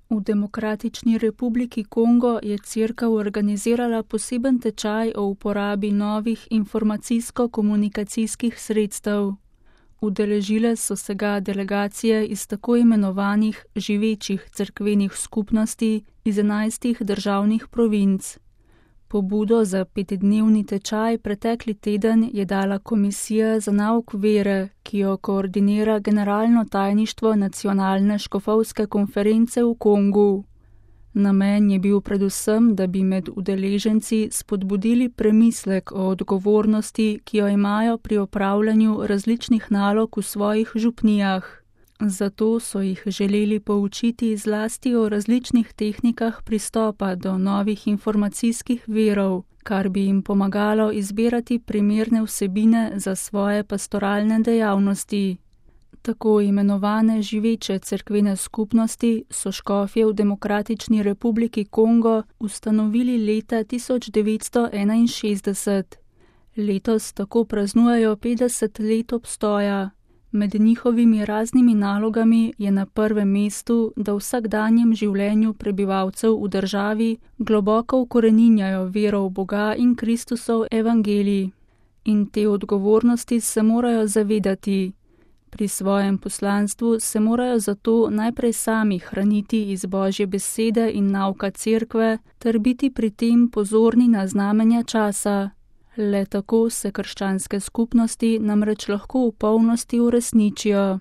V Demokratični republiki Kongo je cerkev organizirala poseben tečaj o uporabi novih informacijsko-komunikacijskih sredstev. Udeležile so se ga delegacije iz tako imenovanih živečih cerkvenih skupnosti iz 11 državnih provinc. Pobudo za 5-dnevni tečaj pretekli teden je dala Komisija za nauk vere, ki jo koordinira Generalno tajništvo Nacionalne škofovske konference v Kongu. Namen je bil predvsem, da bi med udeleženci spodbudili premislek o odgovornosti, ki jo imajo pri opravljanju različnih nalog v svojih župnijah. Zato so jih želeli poučiti zlasti o različnih tehnikah pristopa do novih informacijskih virov, kar bi jim pomagalo izbirati primerne vsebine za svoje pastoralne dejavnosti. Tako imenovane živeče cerkvene skupnosti so škofje v Demokratični republiki Kongo ustanovili leta 1961. Letos tako praznujejo 50 let obstoja. Med njihovimi raznimi nalogami je na prvem mestu, da v vsakdanjem življenju prebivalcev v državi globoko ukoreninjajo vero v Boga in Kristusov evangelij. In te odgovornosti se morajo zavedati. Pri svojem poslanstvu se morajo zato najprej sami hraniti iz Božje besede in nauka cerkve ter biti pri tem pozorni na znamenja časa. Le tako se krščanske skupnosti namreč lahko v polnosti uresničijo.